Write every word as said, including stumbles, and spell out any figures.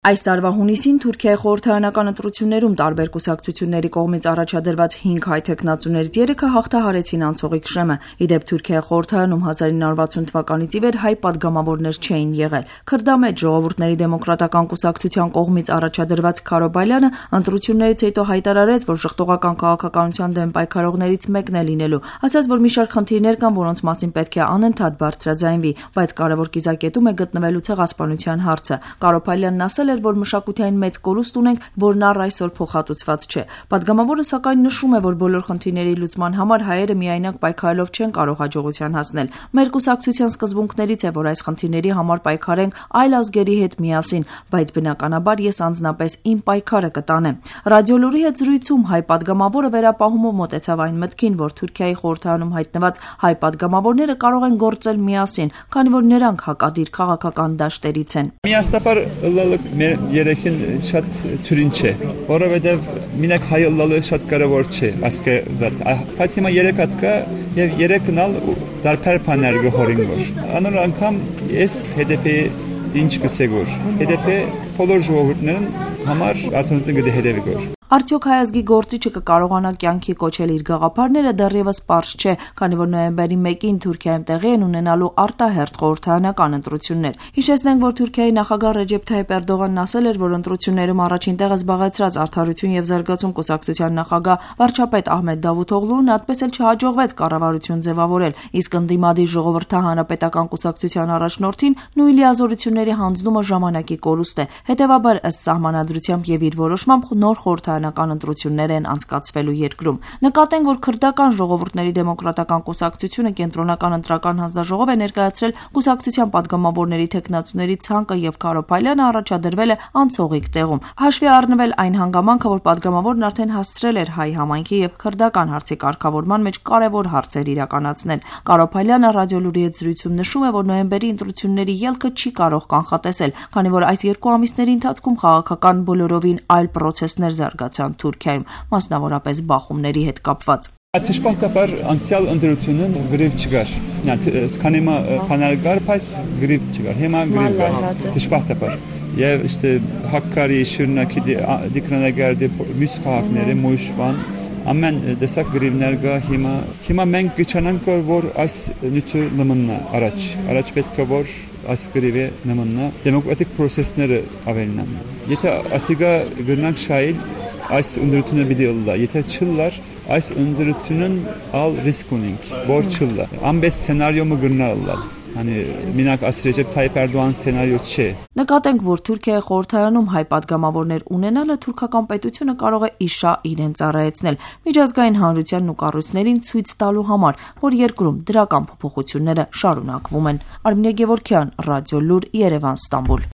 Այս տարվա հունիսին Թուրքիայի խորհրդարանական ընտրություններում տարբեր կուսակցությունների կողմից առաջադրված հինգ հայ թեկնածուներից երեքը հաղթահարեցին անցողիկ Շրեմը։ Ի դեպ Թուրքիայի խորհրդարանում հազար ինը հարյուր վաթսուն թվականից ի վեր հայ պատգամավորներ չէին եղել։ Քրդամեջ ժողովուրդների դեմոկրատական կուսակցության կողմից առաջադրված Քարոբալյանը ընտրություններից հետո հայտարարեց, որ ժխտողական քաղաքականության դեմ պայքարողներից մեկն է լինելու, ասաց, որ մի շարք խնդիրներ կան, որոնց մասին պետք է անընդհատ բարձրաձայնվի, բայց կարևոր կիզակետում է գտնվելու ցեղասպանության հարցը։ Քարոբալյանն ասել էր, որ մշակութային մեծ կորուստ ունենք, որն առ այսօր փոխհատուցված չէ։ Պատգամավորը սակայն նշում է, որ բոլոր խնդիրների լուծման համար հայերը միայնակ պայքարելով չեն կարող հաջողության հասնել։ Մեր կուսակցության սկզբունքներից է, որ այս խնդիրների համար պայքարենք այլ ազգերի հետ միասին, բայց բնականաբար ես անձնապես իմ պայքարը կտանեմ։ Ռադիոլուրի հետ զրույցում հայ պատգամավորը վերապահումով մոտեցավ այն մտքին, որ Թուրքիայի խորհրդարանում հայտնված հայ պատգամավորները կարող են գործել միասին, քանի որ նրանք հակադիր քաղաքական դաշտերից են։ Միասնապար մեր երեքին շատ թյուրին չէ, որովհետև մինակ հայ ըլլալը շատ կարևոր չէ, ասկե զատ, բայց հիմա երեք հատ կա և երեքն ալ դարբեր բաներ գհորին գոր։ Անոր անգամ ես հեդեպի ինչ կսե գոր, հեդեպի բոլոր ժողովուրդներն համար արդյունքն գդի հետևի գոր։ Արդյոք հայ ազգի գործիչը կկարողանա կյանքի կոչել իր գաղափարները դեռևս պարզ չէ, քանի որ նոյեմբերի մեկին Թուրքիայում տեղի են ունենալու արտահերթ խորհրդարանական ընտրություններ։ Հիշեցնենք, որ Թուրքիայի նախագահ Ռեջեփ Թայիփ Էրդողանն ասել էր, որ ընտրություններում առաջին տեղը զբաղեցրած Արդարություն և զարգացում կուսակցության նախագահ վարչապետ Ահմեդ Դավութօղլուն այդպես էլ չհաջողվեց կառավարություն ձևավորել, իսկ ընդդիմադիր ժողովրդահանրապետական կուսակցության առաջնորդին նույն լիազորությունների հանձնումը ժամանակի կորուստ է։ Հետևաբար, ըստ սահմանադրությամբ և իր որոշմամբ նոր խորհրդարանական ընտրություններ են անցկացվելու երկրում։ Նկատենք, որ քրդական ժողովուրդների դեմոկրատական կուսակցությունը կենտրոնական ընտրական հանձնաժողով է ներկայացրել կուսակցության պատգամավորների թեկնածուների ցանկը և Քարոբալյանը առաջադրվել է անցողիկ տեղում։ Հաշվի առնվել այն հանգամանքը, որ պատգամավորն արդեն հասցրել էր հայ համայնքի և քրդական հարցի կարգավորման մեջ կարևոր հարցեր իրականացնել։ Քարոբալյանը ռադիոլուրի հետ զրույցում նշում է, որ նոյեմբերի ընտրությունների ելքը չի կարող կանխատեսել, քանի որ այս երկու ամիսների ընթացքում քաղաքական բոլորովին այլ պրոցեսներ զարգացան Թուրքիայում, մասնավորապես բախումների հետ կապված։ Դժբախտաբար անցյալ ընտրությունն գրիվ չկար։ Քանի մա բանակար, բայց գրիվ չկար։ Հիմա գրիվ կա։ Դժբախտաբար։ Եվ işte Hakkari, Şırnakի դիկրանագարդի մյուս քաղաքները Մոշվան ամեն դեսակ գրիվներ կա հիմա։ Հիմա մենք գճանանք որ այս նյութը նմնա առաջ։ Առաջ պետք է որ այս գրիվը նմնա դեմոկրատիկ process-ները ավելնան։ Եթե ասիգա գրնանք շայել այս ընդրությունը պիտի ըլլա, եթե չլար, այս ընդրությունն ալ ռիսկ ունենք, որ չլա։ Ամբես սցենարիոմը գրնա ըլլալ, hani մինակ Ռեջեփ Թայիփ Էրդողան սցենարիո չէ։ Նկատենք, որ Թուրքիայի խորհրդարանում հայ պատգամավորներ ունենալը թուրքական պետությունը կարող է իշա իրեն ծառայեցնել միջազգային հանրությանն ու կառույցներին ցույց տալու համար, որ երկրում դրական փոփոխությունները շարունակվում են։ Արմինե Գևորգյան, Ռադիոլուր, Երևան, Ստամբուլ։